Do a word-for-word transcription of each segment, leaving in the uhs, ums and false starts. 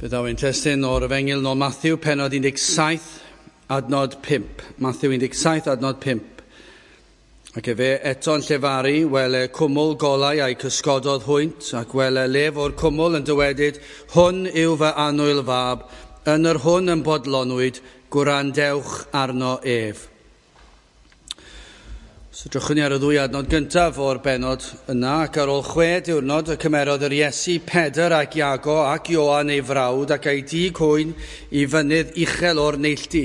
Fe ddaw ein testun o'r Efengyl nôl Matthew, pennod un deg saith, adnod pump. Matthew un deg saith, adnod pump. Ac efe eto'n llefaru, wele cwmwl golau a'i cysgododd hwynt, ac wele lef o'r cwmwl yn dywedyd, hwn yw fy annwyl fab, yn yr hwn yn bodlonwyd, gwrandewch arno ef. So drychwn ni ar y ddwy adnod gyntaf o'r bennod yna, ac ar ôl chwe diwrnod y cymerodd yr Iesu Pedr ac Iago ac Ioan ei frawd ac ei dug hwyn i fynydd uchel o'r neilltu.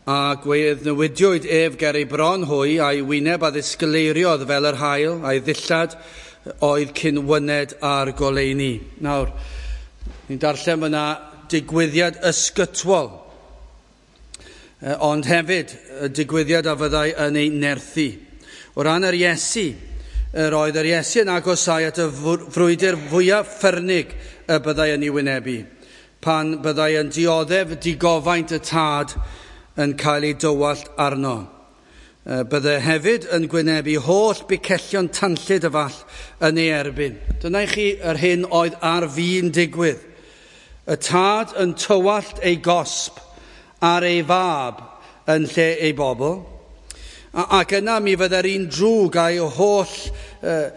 A gweddnewidiwyd ef ger ei bron hwy, a'i wyneb a ddisgleiriodd fel yr haul, a'i ddillad oedd cyn wyned ar goleuni. Nawr, ni'n darllen fyna digwyddiad ysgytwol, ond hefyd y digwyddiad a fyddai yn ei nerthu. O ran yr Iesu, yr oedd yr Iesu yn agosau at y frwydr fwyaf ffyrnig y byddai yn ei wynebu, pan byddai yn dioddef digofaint y tad yn cael ei dywallt arno. Byddai hefyd yn gwynebu holl bicellion tanllyd y fall yn ei erbyn. Dyna i chi yr hyn oedd ar fin digwydd. Y tad yn tywallt ei gosb ar ei fab yn lle ei bobl. Ac yna mi fydde'r un drwg a'i holl uh,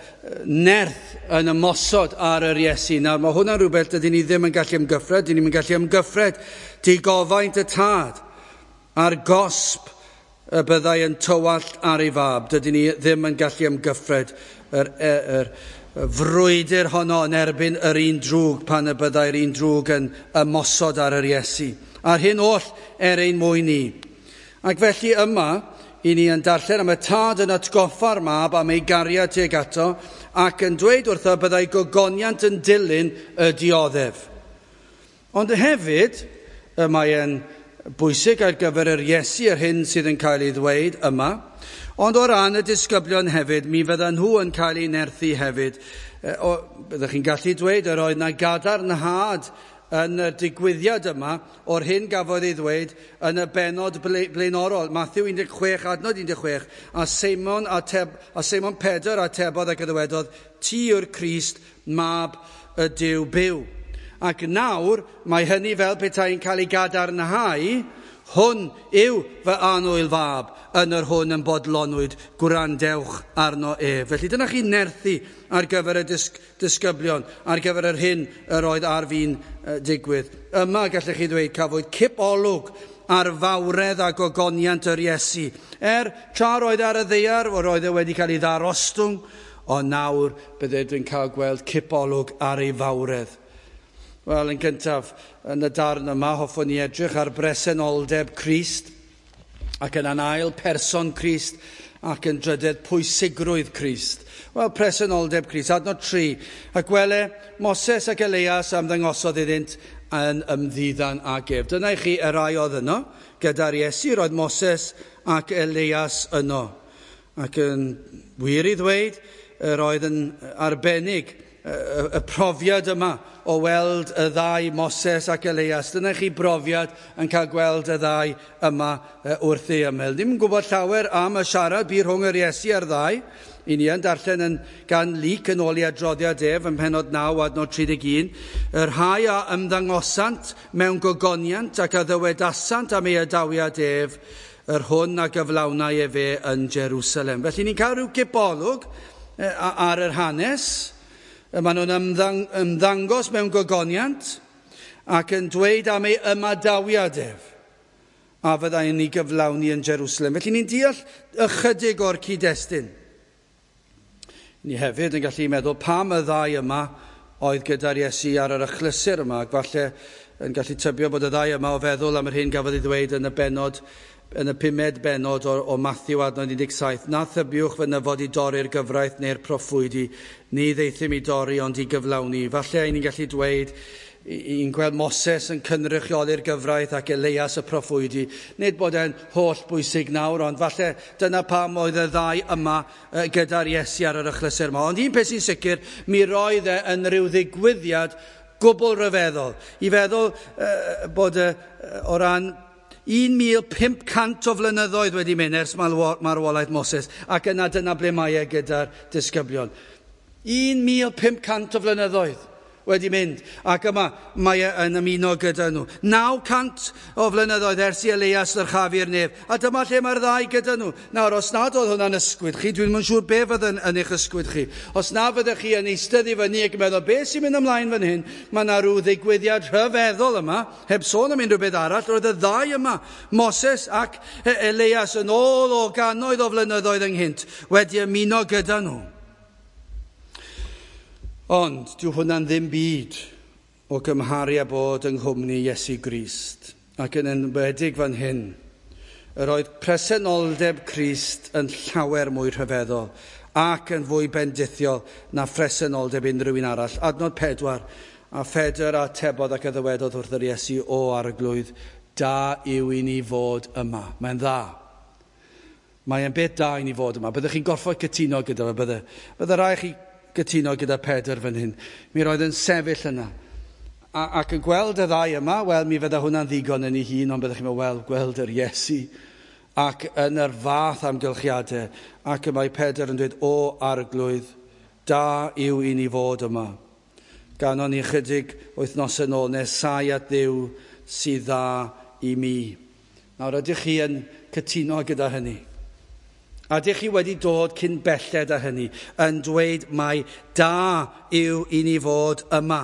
nerth yn ymosod ar yr Iesu. Nawr mae hwnna'n rhywbeth dydyn ni ddim yn gallu ymgyffred, dyn ni'n gallu ymgyffred digofaint y tad a'r gosb y byddai yn tywallt ar ei fab. Dydyn ni ddim yn gallu ymgyffred yr, yr, yr frwydr honno yn erbyn yr un drwg pan y byddai'r un drwg yn ymosod ar yr Iesu. A'r hyn oll er ein mwyn ni. Ac felly yma, i ni yn darllen am y tad yn atgoffa'r mab am ei gariad tuag ato ac yn dweud wrtho byddai gogoniant yn dilyn y dioddef. Ond hefyd, y mae yn bwysig ar gyfer yr Iesu yr hyn sydd yn cael ei ddweud yma, ond o ran y disgyblion hefyd, mi fyddan nhw yn cael eu nerthu hefyd. O, byddwch chi'n gallu dweud yr oedd na gadarnhad yn y digwyddiad yma o'r hyn gafodd ei ddweud yn y bennod blaenorol, Matthew un deg chwech, adnod un deg chwech, a Seimon, ateb, a Seimon Pedr atebodd ac y ddywedodd, ti yw'r Crist, mab y Duw byw. Ac nawr mae hynny fel petai'n cael ei gadarnhau, hwn yw fy annwyl fab, yn yr hwn yn bodlonwyd, gwrandewch arno ef. Felly dyna chi nerthu ar gyfer y disg disgyblion, ar gyfer yr hyn yr oedd ar fin digwydd. Yma gallech chi ddweud cafwyd cip olwg ar fawredd a gogoniant yr Iesu. Er tra roedd ar y ddaear, roedd e wedi cael ei ddarostwng, ond nawr byddai dwi'n cael gweld cip olwg ar ei fawredd. Wel, yn gyntaf, yn y darn yma, hoffwn ni edrych ar bresenoldeb Crist, ac yn ail person Crist, ac yn drydedd pwysigrwydd Crist. Wel, presenoldeb Crist, adnod tri. Ac wele, Moses ac Elias ymddangosodd iddynt yn ymddiddan ag ef. Dyna i chi y rai oedd yno, gyda'r Iesu, roedd Moses ac Elias yno. Ac yn wir i ddweud, yr oedd yn arbennig y profiad yma o weld y ddau Moses ac Elias. Dyna chi brofiad yn cael gweld y ddau yma wrth ei ymyl. Ddim yn gwybod llawer am y siarad bu rhwng yr Iesu a'r ddau. I ni yn darllen yn, gan Luc yn ôl i adroddiad ef yn pennod naw adnod tri deg un. Y rhai a ymddangosant mewn gogoniant ac a ddywedasant am ei adawiad ef, yr hwn a gyflawnai efe yn Jerusalem. Felly ni'n cael rhyw gipolwg ar yr hanes. Maen nhw'n ymddang ymddangos mewn gogoniant ac yn dweud am ei ymadawiad ef a fyddai'n ei gyflawni yn Jerusalem. Felly ni'n deall ychydig o'r cyd-destun. Ni hefyd yn gallu meddwl pam y ddau yma oedd gyda'r Iesu ar yr achlysur yma, ac falle yn gallu tybio bod y ddau yma o feddwl am yr hyn gafodd ei ddweud yn y bennod, yn y pumed bennod o, o Matthew adnod un deg saith. Na thybiwch fy nyfod i dorri'r gyfraith neu'r proffwydi, ni ddeithum i dorri ond i gyflawni. Falle ni'n gallu dweud, i'n gweld Moses yn cynrychioli'r gyfraith ac Elias y proffwydi. Nid bod e'n holl bwysig nawr, ond falle dyna pam oedd y ddau yma gyda'r Iesu ar yr achlysur yma. Ond un peth sy'n sicr, mi roedd e yn rhyw ddigwyddiad gwbl ryfeddol. I feddwl uh, bod uh, o ran un mil pump cant o flynyddoedd wedi mynd ers marwolaeth Moses, ac yna dyna ble mae e gyda'r disgyblion. un mil pump cant o flynyddoedd wedi mynd, ac yma mae e yn ymuno gyda nhw. Naw cant o flynyddoedd ers i Elias ddyrchafu'r nef, a dyma lle mae'r ddau gyda nhw. Nawr, os nad oedd hwnna'n ysgwyd chi, dwi'n yn siŵr be fydd yn, yn eich ysgwyd chi. Os na fyddech chi yn eistedd i fyny ac yn meddwl, be sy'n mynd ymlaen fan hyn? Mae yna rhyw ddigwyddiad rhyfeddol yma, heb sôn am unrhyw beth arall, roedd y ddau yma, Moses ac Elias, yn ôl o gannoedd o flynyddoedd ynghynt, wedi ymuno gyda nhw. Ond dyw hwnna'n ddim byd o gymharu â bod yng nghwmni Iesu Grist. Ac yn enwedig fan hyn, yr oedd presenoldeb Crist yn llawer mwy rhyfeddol ac yn fwy bendithiol na phresenoldeb unrhyw un arall. Adnod pedwar, a Phedr atebodd ac a ddywedodd wrth yr Iesu, o Arglwydd, da yw i ni fod yma. Mae'n dda. Mae'n beth da i ni fod yma. Byddwch chi'n gorfod cytuno gyda fe, bydde. Bydde rai chi gytuno gyda Pedr fan hyn. Mi roedd yn sefyll yna. A, ac yn gweld y ddau yma, wel, mi fydda hwnna'n ddigon yn ei hun, ond byddwch chi'n meddwl, wel, gweld yr Iesu. Ac yn yr fath amgylchiadau, ac y mae Pedr yn dweud, o Arglwydd, da yw i ni fod yma. Ganon ni chydig wythnosau nôl, nesau at Dduw sydd dda i mi. Nawr, ydych chi yn cytuno gyda hynny? A ydych chi wedi dod cyn belled â hynny, yn dweud mai da yw i ni fod yma.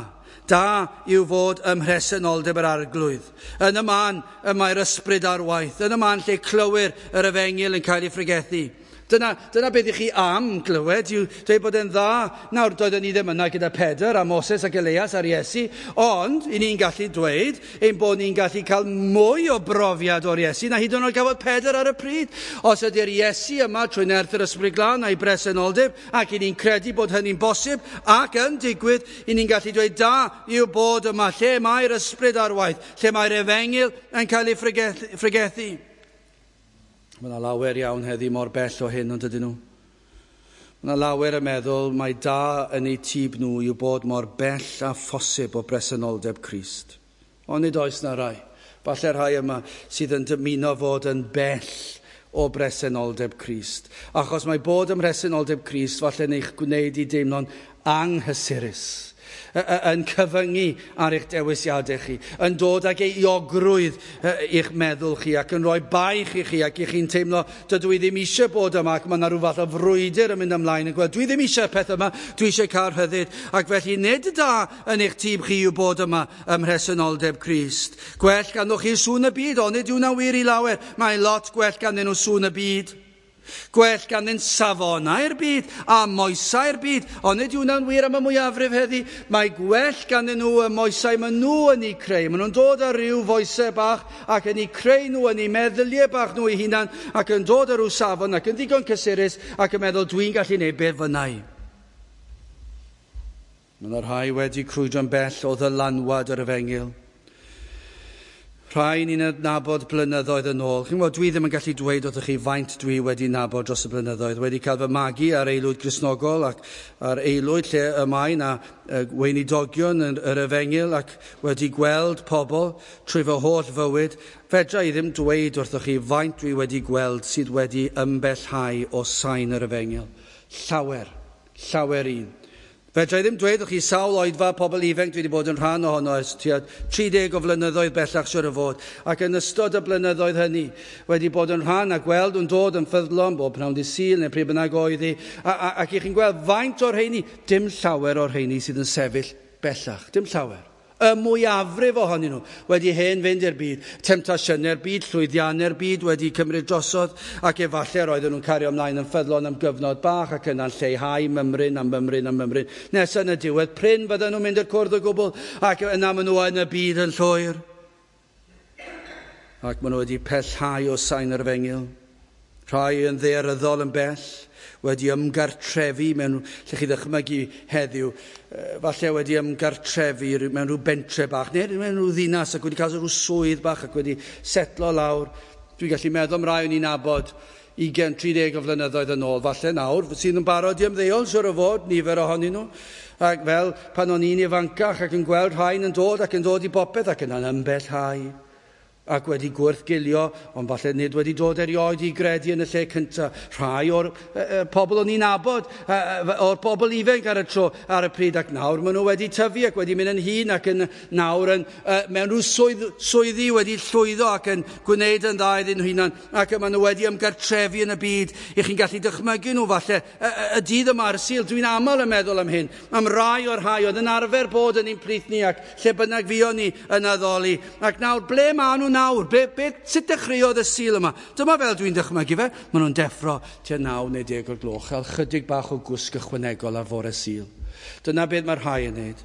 Da yw fod ym mhresenoldeb yr Arglwydd. Yn y man y mae'r ysbryd ar waith. Yn y man lle clywir yr efengyl yn cael ei phregethu. Dyna, dyna beth i chi am glywed, yw dweud bod e'n dda. Nawr, doeddwn ni ddim yna gyda Pedr a Moses ac Elias a'r Iesu, ond i ni'n gallu dweud ein bod ni'n gallu cael mwy o brofiad o'r Iesu na hyd yn oed gafodd Pedr ar y pryd. Os ydy'r Iesu yma trwy nerth yr Ysbryd Glân a'i bresenoldeb, ac i ni'n credu bod hynny'n bosib ac yn digwydd, i ni'n gallu dweud da yw bod yma, lle mae'r ysbryd ar waith, lle mae'r efengyl yn cael ei phregethu. Mae yna lawer iawn heddi mor bell o hyn, ond ydyn nhw. Mae yna lawer yn meddwl mai da yn eu tîb nhw yw bod mor bell â phosib o bresenoldeb Crist. Ond nid oes na rai. Falle rhai yma sydd yn dymuno fod yn bell o bresenoldeb Crist. Achos mae bod ym mhresenoldeb Crist falle yn eich gwneud i deimlo'n anghysurus, yn cyfyngu ar eich dewisiadau chi, yn dod ag euogrwydd i'ch meddwl chi ac yn rhoi baich i chi ac i chi'n teimlo dydw i ddim eisiau bod yma ac mae yna rhyw fath o frwydr yn mynd ymlaen yn gweld dwi ddim eisiau peth yma, dwi eisiau cael rhyddid, ac felly nid da yn eich tîm chi yw bod yma ym mhresenoldeb Crist. Gwell ganddoch chi sŵn y byd, ond nid yw hwnna'n wir i lawer, mae lot gwell ganddyn nhw sŵn y byd. Gwell ganddyn safonau'r byd a moesau'r byd, ond nid yw hwnna'n wir am y mwyafrif heddi. Mae gwell ganddyn nhw y moesau maen nhw yn eu creu. Maen nhw'n dod ar ryw foesau bach ac yn eu creu nhw yn eu meddyliau bach nhw eu hunan ac yn dod ar ryw safon ac yn ddigon cysurus ac yn meddwl dwi'n gallu neud beth fynnau. Mae yna rhai wedi crwydro'n bell o ddylanwad yr efengyl. Rhai ni'n adnabod blynyddoedd yn ôl. Chi'n gwybod, dwi ddim yn gallu dweud wrthych chi faint dwi wedi nabod dros y blynyddoedd. Wedi cael fy magu ar aelwyd Gristnogol ac ar aelwyd lle y mae na weinidogion yn yr efengyl ac wedi gweld pobl trwy fy holl fywyd. Fedra i ddim dweud wrthych chi faint dwi wedi gweld sydd wedi ymbellhau o sain yr efengyl. Llawer, llawer un. Fedra i ddim dweud wrth chi sawl oedfa pobl ifanc dwi wedi bod yn rhan ohono ers tua tri deg o flynyddoedd bellach siwr o fod. Ac yn ystod y blynyddoedd hynny wedi bod yn rhan a gweld yn dod yn ffyddlon bob pnawn dydd Sul neu pryd bynnag oedd hi. A, a, ac i chi'n gweld faint o'r rheini, dim llawer o'r rheini sydd yn sefyll bellach, dim llawer. Y mwyafrif ohonyn nhw wedi hen fynd i'r byd, temtasiynau'r byd, llwyddiannau'r byd wedi cymryd drosodd, ac efallai roedden nhw'n cario ymlaen yn ffyddlon am gyfnod bach ac yna'n lleihau mymryn am mymryn am mymryn. Nes yn y diwedd, prin fydden nhw'n mynd i'r cwrdd o gwbl, ac yna maen nhw yn y byd yn llwyr. Ac maen nhw wedi pellhau o sain yr efengyl. Rhai yn ddaearyddol yn bell, wedi ymgartrefu mewn, lle chi ddychmygu heddiw, falle wedi ymgartrefu mewn rhyw bentre bach, neu mewn rhyw ddinas ac wedi cael rhyw swydd bach ac wedi setlo lawr. Dwi'n gallu meddwl am rai o'n i'n nabod ugain, tri deg o flynyddoedd yn ôl, falle nawr, sydd yn barod i ymddeol, siwr o fod, nifer ohonyn nhw. Ac fel pan o'n i'n ifancach ac yn gweld rhain yn dod ac yn dod i bopeth ac yna'n ymbellhau. Ac wedi gwrthgilio, ond falle nid wedi dod erioed i gredu yn y lle cyntaf. Rhai o'r uh, pobl o'n i'n nabod, uh, o'r bobl ifanc ar y tro, ar y pryd, ac nawr maen nhw wedi tyfu ac wedi mynd yn hŷn ac yn nawr yn, uh, mewn rhyw swydd, swyddi wedi llwyddo ac yn gwneud yn dda iddyn nhw hunan, ac maen nhw wedi ymgartrefu yn y byd. I chi'n gallu dychmygu nhw falle y, y, y dydd yma ar y Sul. Dwi'n aml yn meddwl am hyn, am rai o'r rhai oedd yn arfer bod yn ein plith ni ac lle bynnag fuon ni yn addoli. Ac nawr, ble maen nhw nawr? Be, be, sut dechreuodd y Sul yma? Dyma fel dwi'n dychmygu fe. Maen nhw'n deffro tua naw neu deg o'r gloch, cael chydig bach o gwsg ychwanegol ar fore Sul. Dyna beth mae rhai yn neud.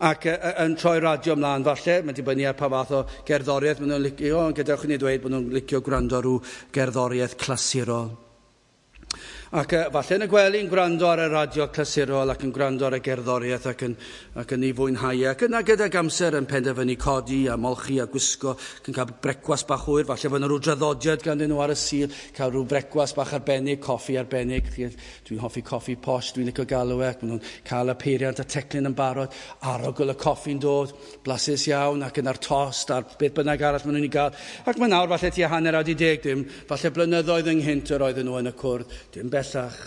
Ac uh, yn troi radio ymlaen falle, mae'n dibynnu ar pa fath o gerddoriaeth maen nhw'n licio, ond gadewch i ni ddweud bod nhw'n licio gwrando ar rhyw gerddoriaeth clasurol. Ac uh, falle yn y gwely'n gwrando ar y radio clasurol ac yn gwrando ar y gerddoriaeth ac yn, ac yn ei fwynhau. Ac yna gydag amser yn penderfynu codi a molchi a gwisgo ac yn cael brecwast bach hwyr. Falle fod yna rhyw draddodiad ganddyn nhw ar y Sul, cael rhyw brecwast bach arbennig, coffi arbennig. Dwi'n hoffi coffi posh, dwi'n licio galw e, ac maen nhw'n cael y peiriant a teclyn yn barod, arogl y coffi'n dod, blasus iawn, ac yna'r tost a'r beth bynnag arall maen nhw'n ei gael. Ac mae nawr falle tua hanner awr i deg, dim, falle blynyddoedd ynghynt yr oedden nhw yn y cwrdd, dim bellach,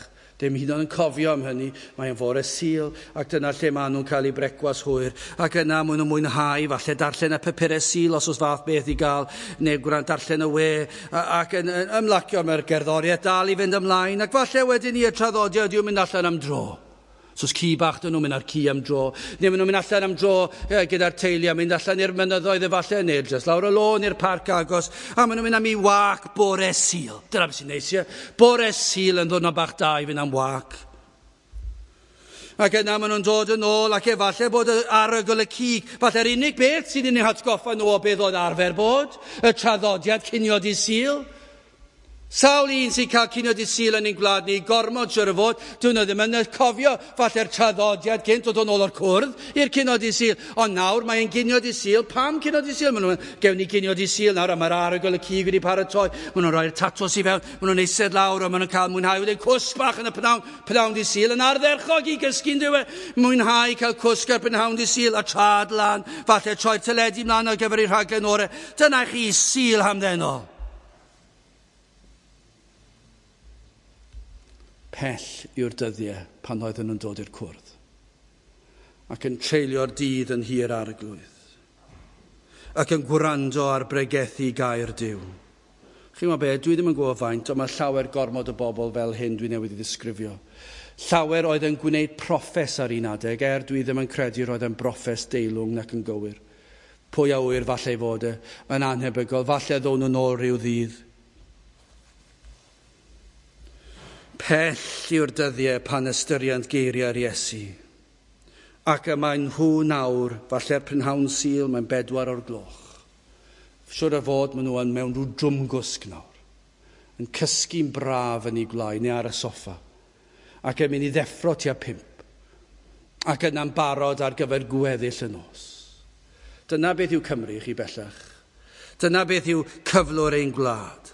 dim hyd yn oed yn cofio am hynny. Mae'n fore Sul, ac dyna lle maen nhw'n cael eu brecwas hwyr, ac yna maen nhw'n mwynhau, falle darllen y papurau Sul os oes fath beth i gael, neu gwrando darllen y we, ac yn, yn ymlacio mae'r gerddoriaeth dal i fynd ymlaen, ac falle wedyn ni y traddodiad yw mynd allan am dro. So os ci bach dyn nhw'n mynd ar ci am dro, neu maen nhw'n mynd allan am dro gyda'r teulu a mynd allan i'r mynyddoedd efallai, neu jyst lawr y lôn i'r parc agos, a maen nhw'n mynd am i wac bore Sul. Dyna beth sy'n neis, ie? Bore Sul yn ddwrnod bach da i fynd am wac. Ac yna maen nhw'n dod yn ôl, ac efallai bod arogl y cig, falle'r unig beth sydd yn eu hatgoffa nhw o beth oedd arfer bod, y traddodiad cinio dydd Sul. Sawl un sy'n cael cinio dydd Sul yn ein gwlad ni, gormod siwr o fod, dyn nhw ddim yn cofio falle'r traddodiad gynt o dod nôl o'r cwrdd i'r cinio dydd Sul. Ond nawr mae'n ginio dydd Sul. Pam cinio dydd Sul? Maen nhw'n gewn ni ginio dydd Sul nawr, a mae'r arogl y cig wedi paratoi. Maen nhw'n rhoi'r tatws i fewn, maen nhw'n eistedd lawr, a maen nhw'n cael mwynhau wedyn cwsg bach yn y pnawn, pnawn dydd Sul, yn ardderchog i gysgu'n dyw e. Mwynhau cael cwsg ar prynhawn dydd Sul, a trad lan, falle troi'r teledu mlaen ar gyfer ei rhaglen orau. Dyna chi Sul hamddenol. Pell yw'r dyddiau pan oedden nhw'n dod i'r cwrdd ac yn treulio'r dydd yn hir arglwydd ac yn gwrando ar bregethu gair Duw. Chi'n gwybod be, dwi ddim yn gwybod faint, ond mae llawer gormod o bobl fel hyn dwi newydd i ddisgrifio. Llawer oedd yn gwneud proffes ar un adeg, er dwi ddim yn credu roedd yn broffes deilwng nac yn gywir. Pwy a ŵyr falle ei fod e, yn anhebygol, falle ddown nhw'n ôl rhyw ddydd. Pell yw'r dyddiau pan ystyriant geiriau'r Iesu. Ac y mae nhw nawr, falle'r prynhawn Sul, mae'n bedwar o'r gloch. Siwr o fod maen nhw yn mewn rhyw drwmgwsg nawr, yn cysgu'n braf yn eu gwlâu neu ar y soffa, ac yn mynd i ddeffro tua pump, ac yna'n barod ar gyfer gweddill y nos. Dyna beth yw Cymru chi bellach. Dyna beth yw cyflwr ein gwlad.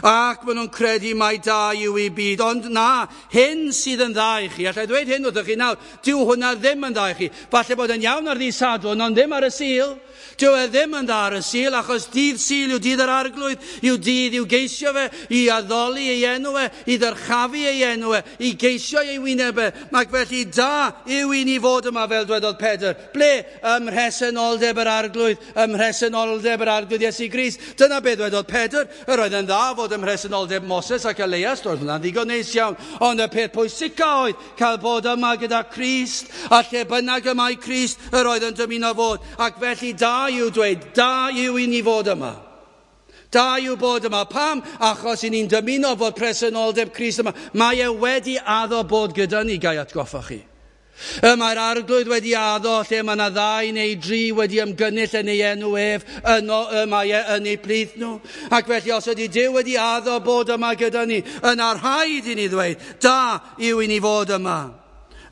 Ac maen nhw'n credu mai da yw eu byd, ond na, hyn sydd yn dda i chi. Alla i ddweud hyn wrthych chi nawr, dyw hwnna ddim yn dda i chi. Falle bod yn iawn ar ddydd Sadwrn, ond ddim ar y Sul. Dyw e ddim yn dda ar y Sul, achos dydd Sul yw dydd yr Arglwydd, yw dydd i'w geisio fe, i addoli ei enw e, i ddyrchafu ei enw e, i geisio ei wyneb e. Ac felly da yw i ni fod yma, fel dwedodd Pedr. Ble? Ym mhresenoldeb yr Arglwydd, ym mhresenoldeb yr Arglwydd Iesu Grist. Dyna beth dwedodd Pedr. Yr oedd yn dda fod ym mhresenoldeb Moses ac Elias, roedd hwnna'n ddigon neis iawn, ond y peth pwysica oedd cael bod yma gyda Crist, a lle bynnag y mae Crist, yr oedd yn dymuno fod. Ac felly da yw dweud, da yw i ni fod yma. Da yw bod yma. Pam? Achos i ni'n dymuno fod presenoldeb Crist yma. Mae e wedi addo bod gyda ni, gai atgoffa chi. Y mae'r Arglwydd wedi addo lle mae yna ddau neu dri wedi ymgynnull yn ei enw ef, yno y mae e yn ei plith nhw. Ac felly os ydy Duw wedi addo bod yma gyda ni, yna rhaid i ni ddweud, da yw i ni fod yma.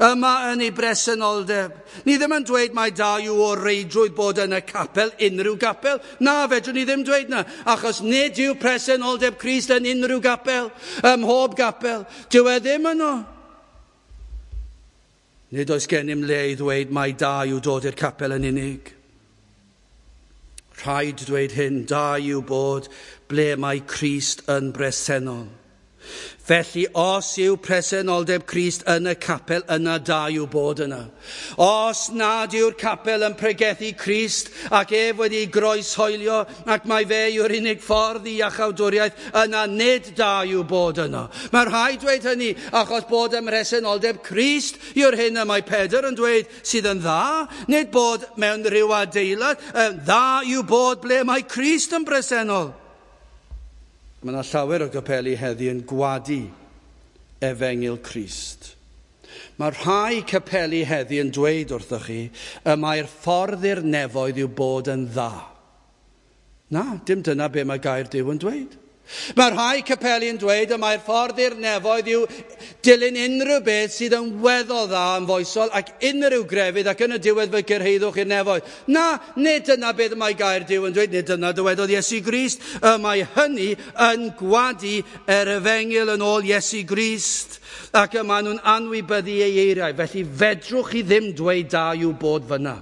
Yma yn ei bresenoldeb. Ni ddim yn dweud mai da yw o reidrwydd bod yn y capel, unrhyw gapel. Na, fedrwn ni ddim dweud na, achos nid yw presenoldeb Crist yn unrhyw gapel, ym mhob gapel. Dyw e ddim yno. Nid oes gennym le i ddweud mai da yw dod i'r capel yn unig. Rhaid dweud hyn, da yw bod ble mae Crist yn bresennol. Felly, os yw presenoldeb Crist yn y capel, yna da yw bod yna. Os nad yw'r capel yn pregethu Crist ac ef wedi groeshoelio ac mae fe yw'r unig ffordd i iachawdwriaeth, yna nid da yw bod yna. Mae rhaid dweud hynny achos bod ym mhresenoldeb Crist yw'r hyn y mae Pedr yn dweud sydd yn dda, nid bod mewn rhyw adeilad, dda yw bod ble mae Crist yn bresennol. Mae yna llawer o gapeli heddi yn gwadu efengyl Crist. Mae rhai capeli heddi yn dweud wrthoch chi y mae'r ffordd i'r nefoedd yw bod yn dda. Na, dim dyna be mae gair Duw yn dweud. Mae rhai capeli yn dweud y mae'r ffordd i'r nefoedd yw dilyn unrhyw beth sydd yn weddol dda yn foesol ac unrhyw grefydd ac yn y diwedd fe gyrhaeddwch i'r nefoedd. Na, nid dyna beth mae gair Duw yn dweud, nid dyna dywedodd Iesu Grist. Y mae hynny yn gwadu yr efengyl yn ôl Iesu Grist ac y maen nhw'n anwybyddu ei eiriau. Felly fedrwch chi ddim dweud da yw bod fyna.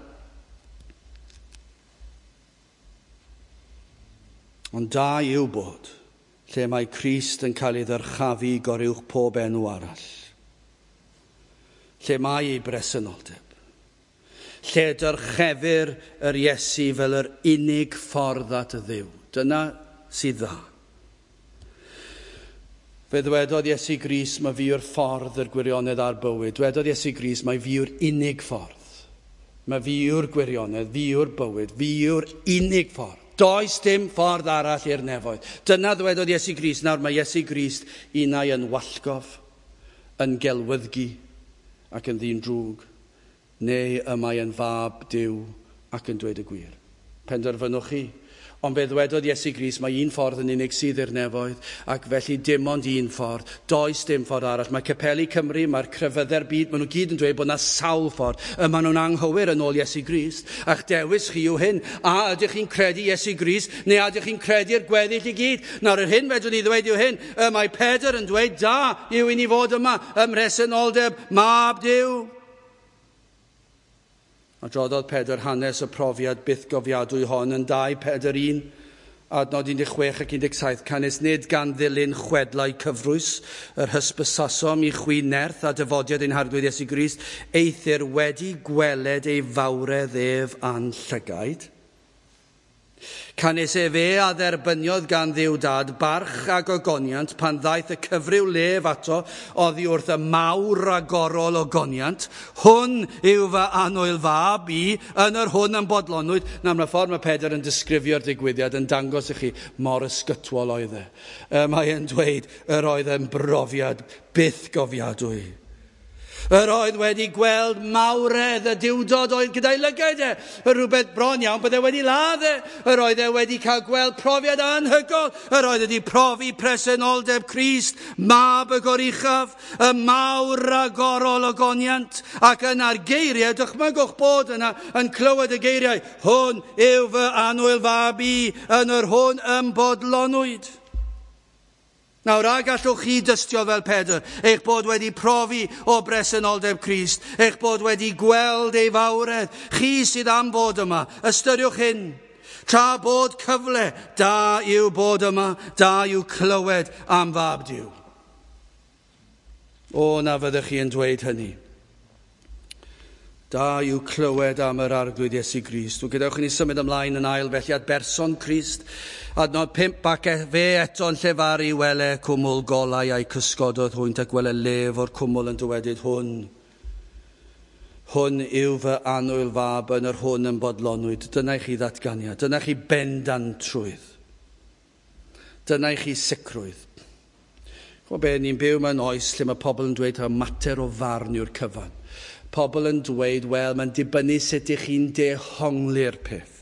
Ond da yw bod lle mae Crist yn cael ei ddyrchafu goruwch pob enw arall. Lle mae ei bresenoldeb. Lle dyrchefir yr Iesu fel yr unig ffordd at y Dduw. Dyna sydd dda. Fe ddwedodd Iesu Grist, mae fi yw'r ffordd, yr gwirionedd a'r bywyd. Dwedodd Iesu Grist, mae fi yw'r unig ffordd. Mae fi yw'r gwirionedd, fi yw'r bywyd, fi yw'r unig ffordd. Does dim ffordd arall i'r nefoedd. Dyna ddwedodd Iesu Grist. Nawr mae Iesu Grist unai yn wallgof, yn gelwyddgi ac yn ddyn drwg, neu y mae yn fab Duw ac yn dweud y gwir. Penderfynwch chi. Ond fe ddwedodd Iesu Grist, mae un ffordd yn unig sydd i'r nefoedd, ac felly dim ond un ffordd. Does dim ffordd arall. Mae Capeli Cymru, mae'r crefyddau'r byd, maen nhw gyd yn dweud bod yna sawl ffordd. Y maen nhw'n anghywir yn ôl Iesu Grist. A'ch dewis chi yw hyn. A ydych chi'n credu Iesu Grist, neu a ydych chi'n credu'r gweddill i gyd? Nawr, yr hyn fedrwn ni ddweud yw hyn. Y mae Pedr yn dweud, da yw i ni fod yma ym mhresenoldeb mab Duw. Adroddodd Pedr hanes y profiad bythgofiadwy hon yn dau Pedr un, adnod un deg chwech ac un deg saith, canys nid gan ddilyn chwedlau cyfrwys yr hysbysasom i chwi nerth a dyfodiad ein Harglwydd Iesu Grist, eithr wedi gweled ei fawredd ef a'n llygaid. Canys efe a dderbyniodd gan Dduw Dad barch ac ogoniant pan ddaeth y cyfryw lef ato oddi wrth y mawr ragorol ogoniant. Hwn yw fy annwyl fab i, yn yr hwn yn bodlonwyd. Nawr, mae'r ffordd mae Pedr yn disgrifio'r digwyddiad yn dangos i chi mor ysgytwol oedd e. Mae e'n dweud yr oedd e'n brofiad byth gofiadwy. Yr oedd wedi gweld mawredd y duwdod oedd gyda'i lygaid e. Rhywbeth bron iawn bydde wedi ladd e. Yr oedd e wedi cael gweld profiad anhygoel. Yr oedd wedi profi presenoldeb Crist, mab y goruchaf, y mawr ragorol ogoniant. Ac yna'r geiriau, dychmygwch bod yna yn clywed y geiriau, hwn yw fy annwyl fab i, yn yr hwn ym bodlonwyd. Nawr, a gallwch chi dystio fel Pedr, eich bod wedi profi o bresenoldeb Crist, eich bod wedi gweld ei fawredd, chi sydd am fod yma, ystyriwch hyn. Tra bod cyfle, da yw bod yma, da yw clywed am fab Duw. O, na fyddech chi yn dweud hynny. Da yw clywed am yr Arglwydd Iesu Grist. Gadewch i ni symud ymlaen yn ail felly at berson Crist. Adnod pump, ac fe eto'n llefaru, wele cwmwl golau a'i cysgododd hwynt, ac wele lef o'r cwmwl yn dywedyd hwn. Hwn yw fy annwyl fab, yn yr hwn yn bodlonwyd. Dyna i chi ddatganiad. Dyna i chi bendantrwydd. Dyna i chi sicrwydd. Chwa be, ni'n byw mewn oes lle mae pobl yn dweud taw mater o farn yw'r cyfan. Pobl yn dweud, wel, mae'n dibynnu sut ych chi'n dehongli'r peth.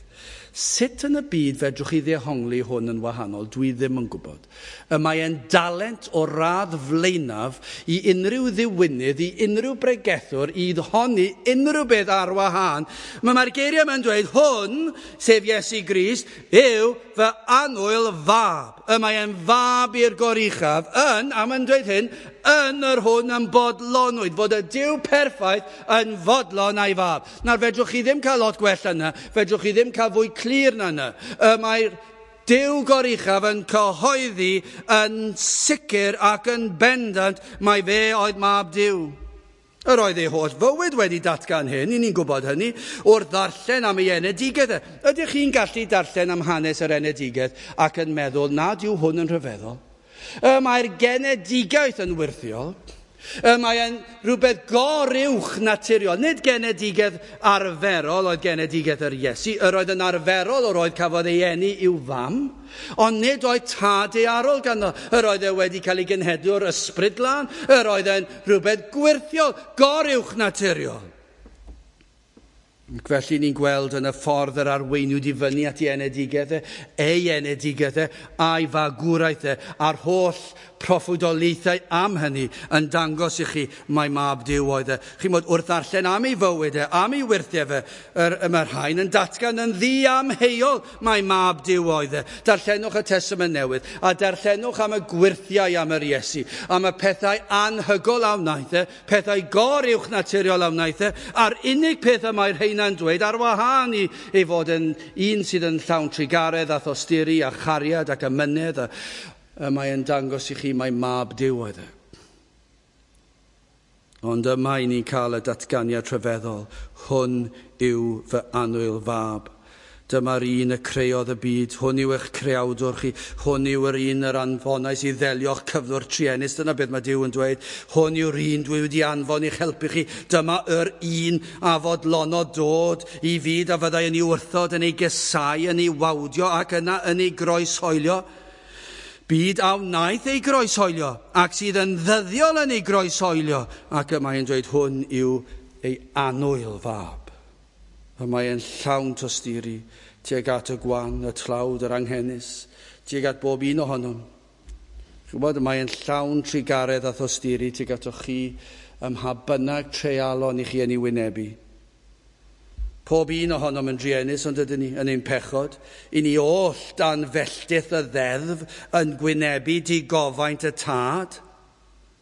Sut yn y byd fedrwch chi ddehongli hwn yn wahanol? Dwi ddim yn gwybod. Y mae e'n dalent o radd flaenaf i unrhyw ddiwynydd, i unrhyw bregethwr, i ddehongli unrhyw beth ar wahân. Mae'r geiriau yma'n dweud, hwn, sef Iesu Grist, yw fy annwyl fab. Y mae e'n fab i'r goruchaf, yn, a mae'n dweud hyn, yn yr hwn yn bodlonwyd, fod y Duw perffaith yn fodlon a'i fab. Nawr, fedrwch chi ddim cael lot gwell yna, fedrwch chi ddim cael fwy clir na yna. Y mae'r Duw goruchaf yn cyhoeddi yn sicr ac yn bendant mai fe oedd mab Duw. Yr oedd ei holl fywyd wedi datgan hyn, i ni'n gwybod hynny, wrth ddarllen am ei enedigaeth. Ydych chi'n gallu darllen am hanes yr enedigaeth ac yn meddwl nad yw hwn yn rhyfeddol? Y mae'r genedigaeth yn wyrthiol. Y mae'n rhywbeth goruwch naturiol. Nid genedigaeth arferol oedd genedigaeth yr Iesu. Yr oedd yn arferol yr oedd cafodd ei eni i'w fam, ond nid oedd tad daearol ganddo. Yr oedd e wedi cael ei genhedlu o'r ysbryd glân. Yr oedd e'n rhywbeth gwyrthiol, goruwch naturiol. Ac felly ni'n gweld yn y ffordd yr arweiniwyd i fyny at ei enedigaeth e, ei enedigaeth e, a'i fagwraeth e, a'r holl proffwydoliaethau am hynny yn dangos i chi mai mab Duw oedd e. Chi'n bod wrth ddarllen am ei fywyd e, am ei wyrthiau fe, yr, mae'r rhain yn datgan yn ddiamheuol mai mab Duw oedd e. Darllenwch y Testament Newydd a darllenwch am y gwyrthiau am yr Iesu, am y pethau anhygoel a wnaeth e, pethau goruwch naturiol a wnaeth e, a'r unig peth y mae'r rheina'n dweud ar wahân i ei fod yn un sydd yn llawn trugaredd a thosturi a chariad ac amynedd, a, a mae'n dangos i chi mai mab Duw oedd e. Ond yma i ni'n cael y datganiad rhyfeddol, hwn yw fy annwyl fab. Dyma'r un y creodd y byd, hwn yw eich creawdwr chi, hwn yw yr un yr anfonais i ddelio'ch cyflwr truenus, dyna beth mae Duw yn dweud, hwn yw'r un dwi wedi anfon i'ch helpu chi, dyma yr un a fodlonodd dod i fyd a fyddai yn ei wrthod, yn ei gysau, yn ei wawdio ac yna yn ei groeshoelio. Byd a wnaeth ei groeshoelio ac sydd yn ddyddiol yn ei groeshoelio, ac y mae'n dweud hwn yw ei annwyl fab. Y mae e'n llawn tosturi tuag at y gwan, y tlawd, yr anghenus, tuag at bob un ohonom. Chi'n gwybod, mae e'n llawn trugaredd a thosturi tuag atoch chi ym mha bynnag treialon i chi yn ei wynebu. Pob un ohonom yn druenus, ond ydyn ni yn ein pechod. I ni oll dan felltith y ddeddf yn gwynebu digofaint y tad.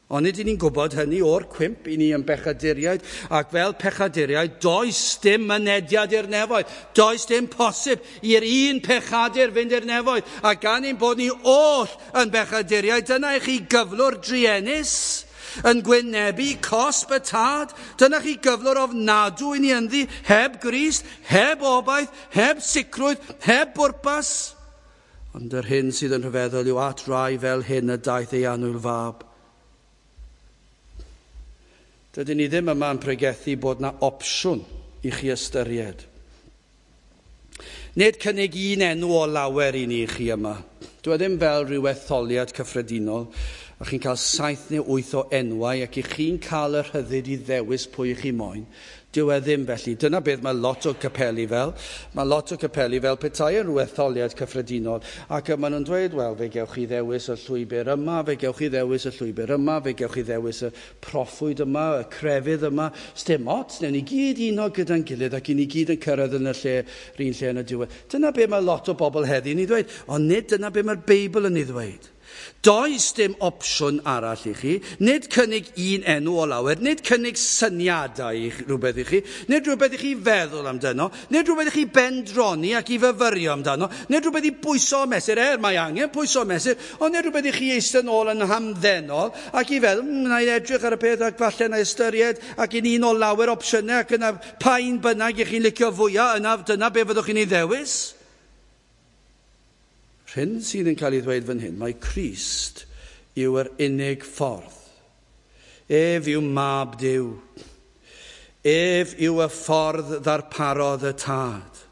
Ond nid ni'n gwybod hynny o'r cwymp, i ni yn bechaduriaid, ac fel pechaduriaid, does dim mynediad i'r nefoedd. Does dim posib i'r un pechadur fynd i'r nefoedd. A gan ein bod ni oll yn bechaduriaid, dyna i chi gyflwr druenus yn gwynebu cosb y tad. Dyna chi gyflwr ofnadw i ni ynddi, heb Grist, heb obaith, heb sicrwydd, heb bwrpas. Ond yr hyn sydd yn rhyfeddol yw at rai fel hyn y daeth ei annwyl fab. Dydyn ni ddim yma yn pregethu bod na opsiwn i chi ystyried. Nid cynnig un enw o lawer i ni chi yma. Dwi ddim fel rhyw etholiad cyffredinol, a chi'n cael saith neu wyth o enwau ac i chi'n cael y rhyddid i ddewis pwy chi moyn. Dyw e ddim felly. Dyna beth mae lot o capeli fel. Mae lot o capeli fel petai yn rhyw etholiad cyffredinol. Ac maen nhw'n dweud, wel, fe gewch chi ddewis y llwybr yma, fe gewch chi ddewis y llwybr yma, fe gewch chi ddewis y proffwyd yma, y crefydd yma. Sdim ots, newn ni gyd uno gyda'n gilydd ac i ni gyd yn cyrraedd yn y lle, yr un lle yn y diwedd. Dyna beth mae lot o bobl heddi yn ei ddweud, ond nid dyna beth mae'r Beibl yn ei ddweud. Does dim opsiwn arall i chi, nid cynnig un enw o lawer, nid cynnig syniadau i rhywbeth i chi, nid rhywbeth i chi feddwl amdano, nid rhywbeth i chi bendroni ac i fyfyrio amdano, nid rhywbeth i bwyso mesur, er mae angen pwyso mesur, ond nid rhywbeth i chi eistedd nôl yn hamddenol ac i feddwl, mm, na i edrych ar y peth ac falle na ystyried ac yn un o lawer opsiynau ac yna pa un bynnag i chi'n licio fwyaf, yna dyna be fyddwch chi'n ei ddewis. Hyn sydd yn cael ei ddweud fan hyn, mae Crist yw yr unig ffordd. Ef yw mab Duw. Ef yw y ffordd ddarparodd y tad.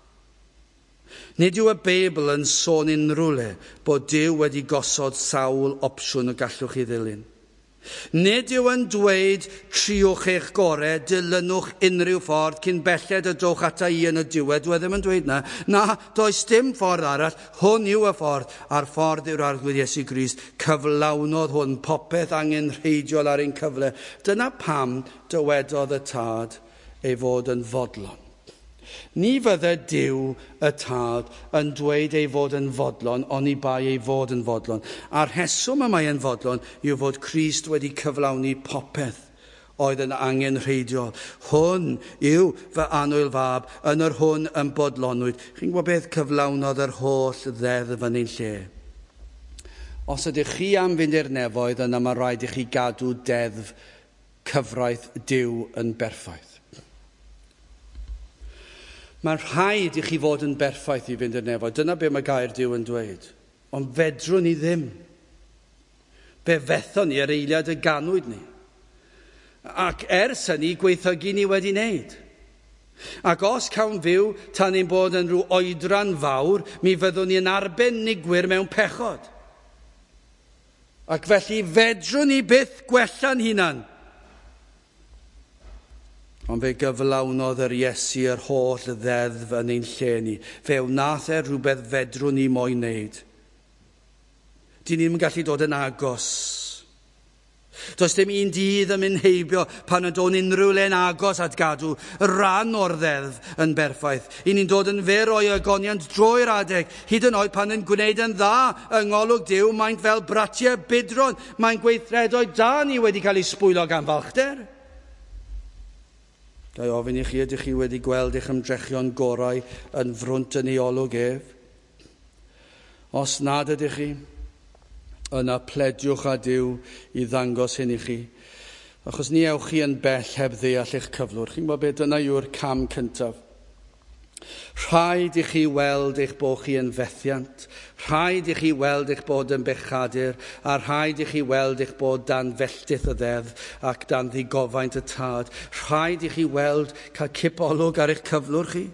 Nid yw y Beibl yn sôn unrhyw le bod Duw wedi gosod sawl opsiwn y gallwch chi ddilyn. Nid yw yn dweud triwch eich gorau, dilynwch unrhyw ffordd cyn belled y dowch ata i yn y diwedd. Dwi ddim yn dweud na. Na, does dim ffordd arall. Hwn yw y ffordd, a'r ffordd yw'r Arglwydd Iesu Grist. Cyflawnodd hwn popeth angenrheidiol ar ein cyfle. Dyna pam dywedodd y tad ei fod yn fodlon. Ni fydde Duw y tad yn dweud ei fod yn fodlon, oni bai ei fod yn fodlon. A'r rheswm y mae yn fodlon yw fod Crist wedi cyflawni popeth oedd yn angenrheidiol. Hwn yw fy annwyl fab, yn yr hwn yn bodlonwyd. Chi'n gwybod beth? Cyflawnodd yr holl ddeddf yn ein lle. Os ydych chi am fynd i'r nefoedd, yna mae rhaid i chi gadw deddf cyfraith Duw yn berffaith. Mae'n rhaid i chi fod yn berffaith i fynd i'r nefoedd. Dyna be mae gair Duw yn dweud. Ond fedrwn ni ddim. Fe fethon ni yr eiliad y ganwyd ni. Ac ers hynny, gweithygu ni wedi wneud. Ac os cawn fyw tan ein bod yn rhyw oedran fawr, mi fyddwn ni yn arbenigwyr mewn pechod. Ac felly fedrwn ni byth gwella'n hunan. Ond fe gyflawnodd yr Iesu yr holl ddeddf yn ein lle ni. Fe wnaeth e rhywbeth fedrwn ni moyn wneud. Dyn ni'm yn gallu dod yn agos. Does dim un dydd yn mynd heibio pan yn dod unrhyw le'n agos at gadw ran o'r ddeddf yn berffaith. I ni'n dod yn fyr o'i ogoniant drwy'r adeg, hyd yn oed pan yn gwneud yn dda yng ngolwg Duw, maent fel bratiau budron, mae'n gweithredoedd da ni wedi cael ei sbwylo gan falchder. Ga i ofyn i chi, ydych chi wedi gweld eich ymdrechion gorau yn frwnt yn ei olwg ef? Os nad ydych chi, yna plediwch â Duw i ddangos hyn i chi. Achos ni ewch chi yn bell heb ddeall eich cyflwr. Chi'n gwybod beth, dyna yw'r cam cyntaf. Rhaid i chi weld eich bod chi yn fethiant. Rhaid i chi weld eich bod yn bechadur. A rhaid i chi weld eich bod dan felltith y ddeddf ac dan ddigofaint y tad. Rhaid i chi weld cael cipolwg ar eich cyflwr chi.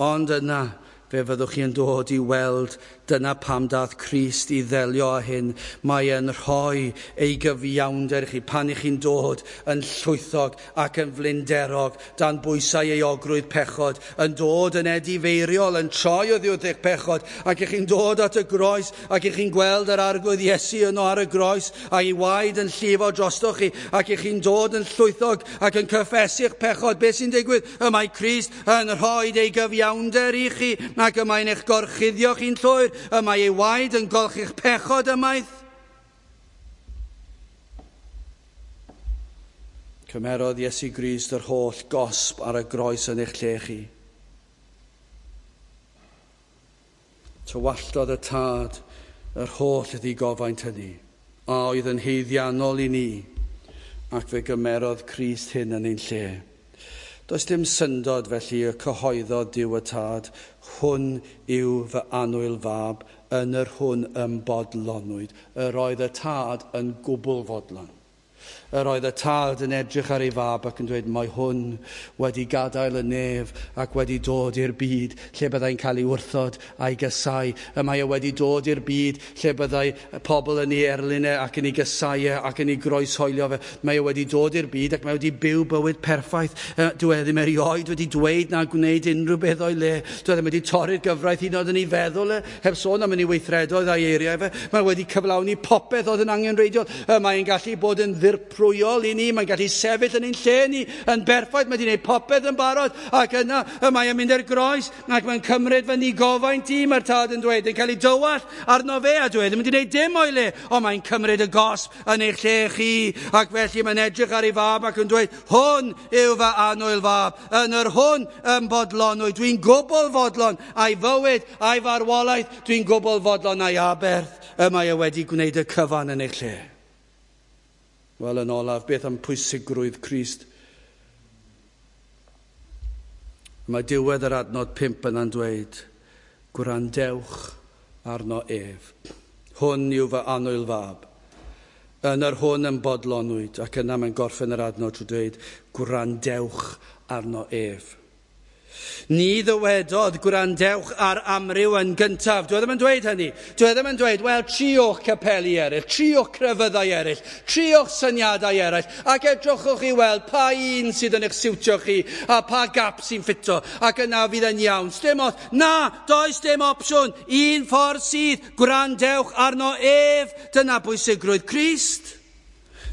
Ond yna, fe fyddwch chi yn dod i weld dyna pam dath Crist i ddelio â hyn. Mae e'n rhoi ei gyfiawnder i chi pan i chi'n dod yn llwythog ac yn flinderog dan bwysau euogrwydd pechod, yn dod yn edifeiriol, yn troi oddi wrth eich pechod, ac i chi'n dod at y groes, ac i chi'n gweld yr Arglwydd Iesu yno ar y groes, a'i waed yn llifo drostoch chi, ac i chi'n dod yn llwythog ac yn cyffesu'ch pechod. Beth sy'n digwydd? Y mae Crist yn rhoi ei gyfiawnder i chi, ac y mae'n eich gorchuddio chi'n llwyr, y mae ei waed yn golchi'ch pechod ymaith. Cymerodd Iesu Grist yr holl gosb ar y groes yn eich lle chi. Tywalltodd y Tad yr holl ddigofaint hynny, a oedd yn haeddiannol i ni, ac fe gymerodd Crist hyn yn ein lle. Does dim syndod felly y cyhoeddodd Duw y Tad, hwn yw fy annwyl fab, yn yr hwn ym bodlonwyd. Yr oedd y Tad yn gwbl fodlon. Yr oedd y Tad yn edrych ar ei fab ac yn dweud, mae hwn wedi gadael y nef ac wedi dod i'r byd lle byddai'n cael ei wrthod a'i gysau. Y mae e wedi dod i'r byd lle byddai pobl yn ei erlyn e ac yn ei gysau e ac yn ei groeshoelio fe. Mae e wedi dod i'r byd ac mae wedi byw bywyd perffaith. Dyw e ddim erioed wedi dweud na gwneud unrhyw beth o'i le. Dyw e ddim wedi torri'r gyfraith hyd yn oed yn ei feddwl e, heb sôn am yn ei weithredoedd a'i eiriau fe. Mae wedi cyflawni popeth oedd yn angenrheidiol. Mae'n gallu bod yn ddirprwyol i ni, mae'n gallu sefyll yn ein lle ni, yn berffaith, mae wedi gwneud popeth yn barod, ac yna y mae yn mynd i'r groes, ac mae'n cymryd fy nigofaint i, mae'r Tad yn dweud, yn cael ei dywallt arno fe, a dweud, ddim wedi gwneud dim o'i le, ond mae'n cymryd y gosb yn eich lle chi, ac felly mae'n edrych ar ei fab ac yn dweud, hwn yw fy annwyl fab, yn yr hwn yn bodlonwyd, dwi'n gwbl fodlon a'i fywyd, a'i farwolaeth, dwi'n gwbl fodlon a'i aberth, y mae e wedi gwneud y cyfan yn eich lle. Wel, yn olaf, beth am pwysigrwydd Crist? Mae diwedd yr adnod pump yna'n dweud, gwrandewch arno ef. Hwn yw fy annwyl fab. Yn yr hwn yn bodlonwyd, ac yna mae'n gorffen yr adnod trwy dweud, gwrandewch arno ef. Ni ddywedodd gwrandewch ar amryw yn gyntaf. Dwi ddim yn dweud hynny. Dwi ddim yn dweud, wel, triwch capeli eraill, triwch crefyddau eraill, triwch syniadau eraill, ac edrychwch i weld pa un sydd yn eich siwtio chi a pa gap sy'n ffito, ac yna fydd yn iawn. Sdim ots. Na, does dim opsiwn. Un ffordd sydd, gwrandewch arno ef. Dyna bwysigrwydd Crist.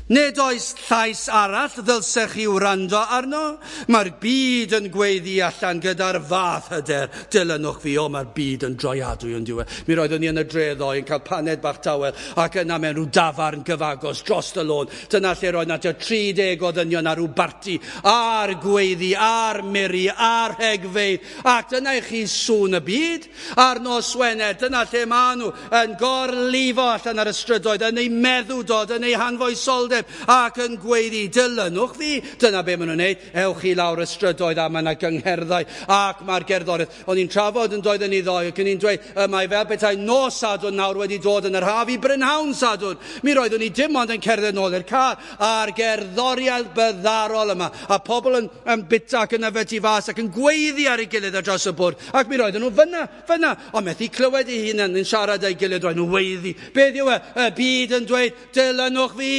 Nid oes llais arall ddylsech chi wrando arno. Mae'r byd yn gweiddi allan gyda'r fath hyder. Dilynwch fi, o, mae'r byd yn droiadwy yn diwedd. Mi roeddwn i yn y dre ddoe yn cael paned bach tawel ac yna mewn rhyw dafarn gyfagos dros y lôn. Dyna lle roedd na tua tri deg o ddynion ar rhyw barti, a'r gweiddi, a'r miri, a'r rhegfeydd. Ac dyna i chi sŵn y byd. A'r nos Wener, dyna lle maen nhw yn gorlifo allan ar y strydoedd, yn eu meddwdod, yn eu hanfoesoldeb, ac yn gweiddi, dilynwch fi. Dyna be maen nhw'n neud. Ewch chi lawr y strydoedd a mae yna gyngherddau ac mae'r gerddoriaeth. O'n i'n trafod yn doedd yn ei ddoe ac o'n i'n dweud, y mae fel petai nos Sadwrn nawr wedi dod yn yr haf i brynhawn Sadwrn. Mi roeddwn i dim ond yn cerdded nôl i'r car a'r gerddoriaeth byddarol yma. A pobl yn, yn bita ac yn yfed tu fas ac yn gweiddi ar ei gilydd ar draws y bwrdd. Ac mi roedden nhw fyna, fyna. Ond methu clywed eu hunain yn siarad â'i gilydd, roedden nhw weiddi. Beth yw e? Y byd yn dweud, dilynwch fi.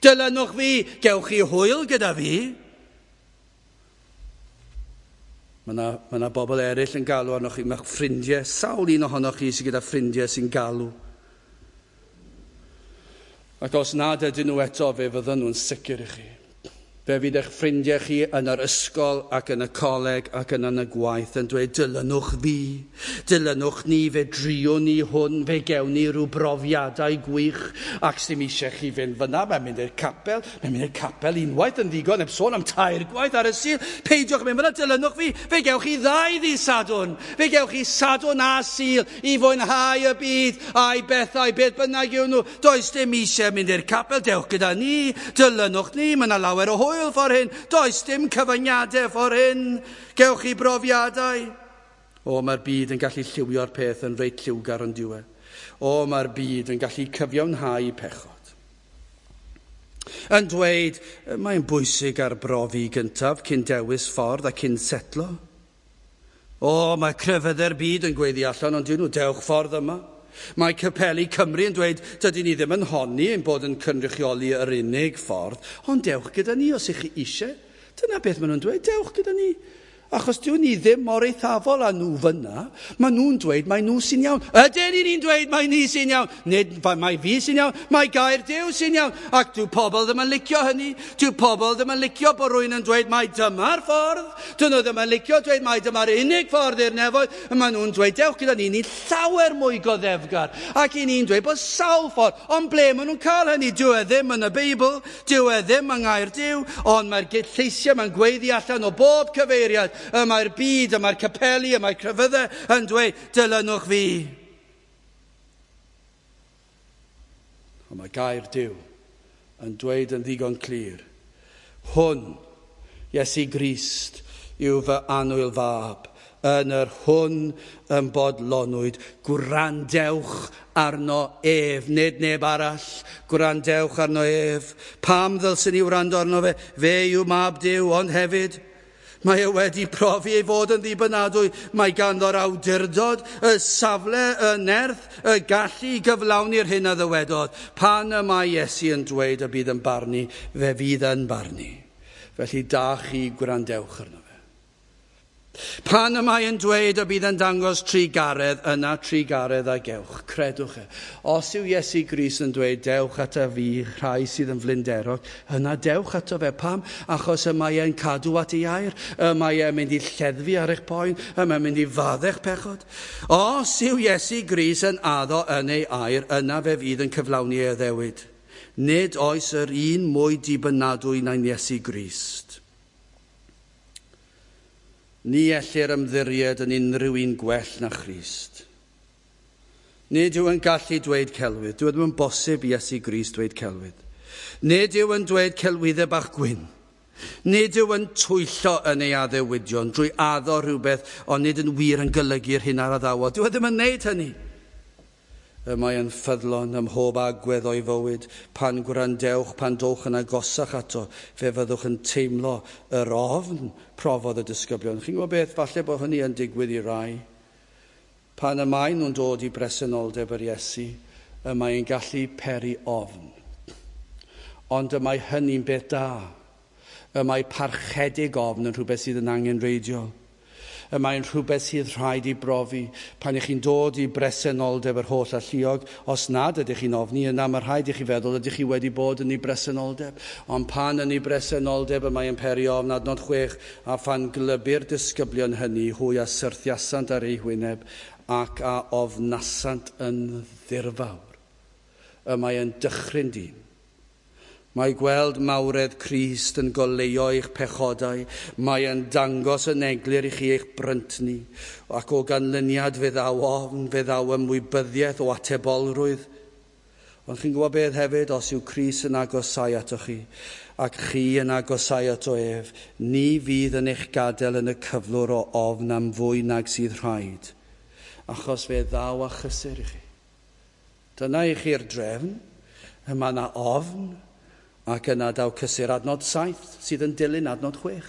Dilynwch fi, gewch chi hwyl gyda fi. Mae yna, ma yna bobl eraill yn galw arnoch chi. Mae ffrindiau, sawl un ohonoch chi sydd gyda ffrindiau sy'n galw. Ac os nad ydyn nhw eto, fe fydden nhw'n sicr i chi. Fe fydd eich ffrindiau chi yn yr ysgol ac yn y coleg ac yn yn y gwaith yn dweud, dilynwch fi, dilynwch ni, fe driwn ni hwn, fe gewn ni rhyw brofiadau gwych, ac sdim eisiau chi fynd fyna, mae'n mynd i'r capel, mae'n mynd i'r capel unwaith yn ddigon, heb sôn am tair gwaith ar y Sul, peidiwch mynd fyna, dilynwch fi, fe gewch chi ddau ddydd Sadwrn, fe gewch chi Sadwrn a Sul i fwynhau y byd a'i bethau, beth bynnag yw nhw, does dim eisiau mynd i'r capel, dewch gyda ni, dilynwch ni, mae yna lawer o hwyl ffordd hyn, does dim cyfyngiadau ffordd hyn, gewch chi brofiadau. O, mae'r byd yn gallu lliwio'r peth yn reit lliwgar yn diwedd. O, mae'r byd yn gallu cyfiawnhau pechod. Yn dweud, mae'n bwysig arbrofi gyntaf cyn dewis ffordd a cyn setlo. O, mae crefyddau'r byd yn gweiddi allan, ond dyn nhw, dewch ffordd yma. Mae Capeli Cymru yn dweud, dydyn ni ddim yn honni ein bod yn cynrychioli yr unig ffordd, ond dewch gyda ni os ych chi eisiau. Dyna beth maen nhw'n dweud, dewch gyda ni. Achos dyw ni ddim mor eithafol â nhw fyna. Maen nhw'n dweud mai nhw sy'n iawn. Ydyn ni'n dweud mai ni sy'n iawn? Nid mai fi sy'n iawn, mai gair Duw sy'n iawn. Ac dyw pobl ddim yn licio hynny. Dyw pobl ddim yn licio bod rhywun yn dweud mai dyma'r ffordd. Dyn nhw ddim yn licio dweud mai dyma'r unig ffordd i'r nefoedd. Maen nhw'n dweud dewch gyda ni, ni'n llawer mwy goddefgar. Ac i ni'n dweud bod sawl ffordd. Ond ble maen nhw'n cael hynny? Dyw e ddim yn y Beibl, dyw e ddim yng ngair Duw, ond mae'r lleisiau mae'n gweiddi allan o bob cyfeiriad. Y mae'r byd, y mae'r capeli, y mae'r crefyddau yn dweud, dilynwch fi. Ond mae gair Duw yn dweud yn ddigon clir, hwn, Iesu Grist, yw fy annwyl fab, yn yr hwn yn bodlonwyd, gwrandewch arno ef, nid neb arall, gwrandewch arno ef. Pam ddylswn ni wrando arno fe? Fe yw mab Duw, ond hefyd, mae e wedi profi ei fod yn ddibynadwy. Mae ganddo'r awdurdod, y safle, y nerth, y gallu i gyflawni'r hyn a ddywedodd. Pan y mae Iesu yn dweud y bydd yn barnu, fe fydd yn barnu. Felly da chi gwrandewch arno fe. Pan y mae yn dweud y bydd yn dangos trugaredd, yna trugaredd a gewch. Credwch e. Os yw Iesu Grist yn dweud dewch ata fi, rhai sydd yn flinderog, yna dewch ato fe. Pam? Achos y mae e'n cadw at ei air, y mae e'n mynd i lleddfu ar eich poen, y mae'n mynd i faddau'ch pechod. Os yw Iesu Grist yn addo yn ei air, yna fe fydd yn cyflawni ei addewid. Nid oes yr un mwy dibynadwy na'n Iesu Grist. Ni ellir ymddiried yn unrhyw un gwell na Christ. Nid yw yn gallu dweud celwydd. Dyw e ddim yn bosib i Iesu Grist dweud celwydd. Nid yw yn dweud celwyddau bach gwyn. Nid yw yn twyllo yn ei addewidion drwy addo rhywbeth, ond nid yn wir yn golygu'r hyn ar addawod. Dyw e ddim yn neud hynny. Y mae yn ffyddlon ym mhob agwedd o'i fywyd. Pan gwrandewch, pan dowch yn agosach ato, fe fyddwch yn teimlo yr ofn profodd y disgyblion. Chi'n gwybod beth? Falle bod hynny yn digwydd i rai. Pan y maen nhw'n dod i bresenoldeb yr Iesu, y mae'n gallu peri ofn. Ond y mae hynny'n beth da. Y mae parchedig ofn yn rhywbeth sydd yn angenrheidiol. Y mae'n rhywbeth sydd rhaid i brofi. Pan ych chi'n dod i bresenoldeb yr holl alluog, os nad ydych chi'n ofni, yna mae rhaid i chi feddwl ydych chi wedi bod yn ei bresenoldeb. Ond pan yn ei bresenoldeb y mae'n peri ofn, adnod chwech, a phan glybu'r disgyblion hynny, hwy a syrthiasant ar eu hwyneb ac a ofnasant yn ddirfawr. Y mae'n dychryn dyn. Mae gweld mawredd Crist yn goleuo eich pechodau. Mae yn dangos yn eglur i chi eich bryntni. Ac o ganlyniad fe ddaw ofn, fe ddaw ymwybyddiaeth o atebolrwydd. Ond chi'n gwybod beth hefyd, os yw Crist yn agosau atoch chi, ac chi yn agosau ato ef, ni fydd yn eich gadael yn y cyflwr o ofn am fwy nag sydd rhaid, achos fe ddaw a chysur i chi. Dyna i chi'r drefn, yma na ofn, ac yna daw cysur. Adnod saith sydd yn dilyn adnod chwech.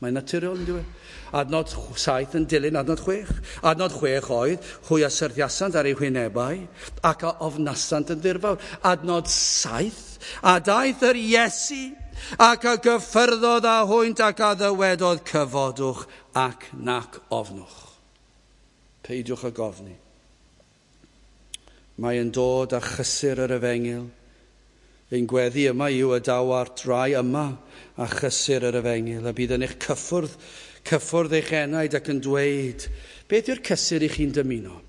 Mae'n naturiol, yn dweud. Adnod saith yn dilyn adnod chwech. Adnod chwech oedd, hwy a syrthiasant ar eu hwynebau ac a ofnasant yn ddirfawr. Adnod saith, a daeth yr Iesu ac a gyffyrddodd â hwynt ac a ddywedodd cyfodwch ac nac ofnwch. Peidiwch ag ofni. Mae yn dod â chysur yr efengyl. Ein gweddi yma yw y daw ar drai yma a chysur yr efengyl, a bydd yn eich cyffwrdd, cyffwrdd eich enaid ac yn dweud, beth yw'r cysur i chi'n dymuno?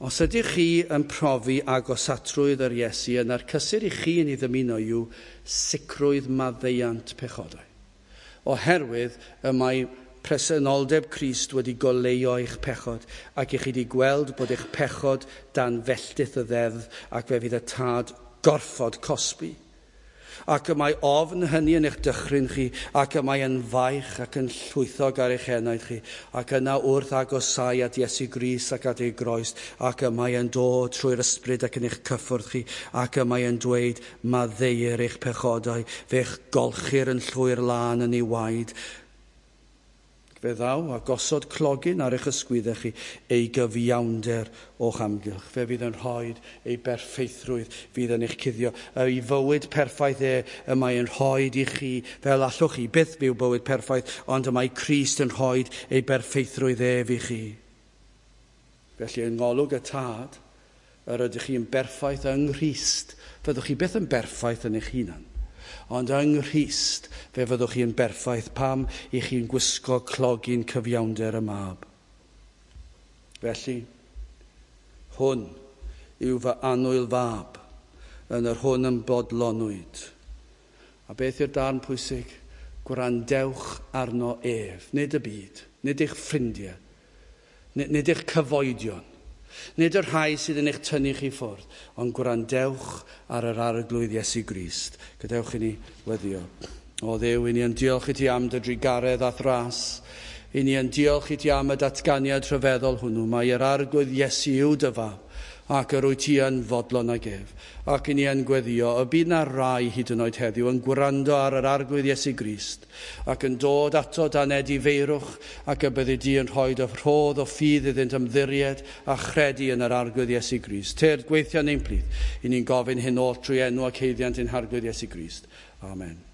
Os ydych chi yn profi agosatrwydd yr Iesu, yna'r cysur i chi yn ei ddymuno yw sicrwydd maddeuant pechodau. Oherwydd y mae presenoldeb Crist wedi goleuo eich pechod, ac i chi wedi gweld bod eich pechod dan felltith y ddeddf, ac fe fydd y tad gorfod cosbi. Ac y mae ofn hynny yn eich dychryn chi, ac y mae yn faich ac yn llwythog ar eich enaid chi, ac yna wrth agosau at Iesu Grist ac at ei groes, ac y mae yn dod trwy'r ysbryd ac yn eich cyffwrdd chi, ac y mae yn dweud, maddeuir eich pechodau, fe'ch golchir yn llwyr lân yn ei waed. Fe ddaw a gosod clogyn ar eich ysgwyddau chi, ei gyfiawnder o'ch amgylch. Fe fydd yn rhoi ei berffeithrwydd fydd yn eich cuddio. Ei fywyd perffaith e y mae yn rhoi i chi, fel allwch chi byth byw bywyd perffaith, ond y mae Crist yn rhoi ei berffeithrwydd ef i chi. Felly yng ngolwg y Tad, yr ydych chi'n berffaith yng Nghrist. Fyddwch chi byth yn berffaith yn eich hunan. Ond yng Nghrist fe fyddwch chi'n berffaith pam i chi'n gwisgo clogyn cyfiawnder y mab. Felly, hwn yw fy annwyl fab, yn yr hwn yn bodlonwyd. A beth yw'r darn pwysig? Gwrandewch arno ef, nid y byd, nid eich ffrindiau, nid, nid eich cyfoedion, nid y rhai sydd yn eich tynnu chi ffwrdd, ond gwrandewch ar yr Arglwydd Iesu Grist. Gadewch i ni weddio. O Dduw, i ni yn diolch i ti am dy drugaredd a thras. I ni yn diolch i ti am y datganiad rhyfeddol hwnnw. Mae yr Arglwydd Iesu yw dy fab, ac yr wyt ti yn fodlon ag ef. Ac i ni yn gweddio, y bydd na rai hyd yn oed heddiw yn gwrando ar yr Arglwydd Iesu Grist, ac yn dod ato dan edifeirwch, ac y byddi di yn rhoi dy rhodd o ffydd iddynt ymddiried a chredu yn yr Arglwydd Iesu Grist. Tyrd gweithio yn ein plith, i ni'n gofyn hyn oll trwy enw ac haeddiant ein Harglwydd Iesu Grist. Amen.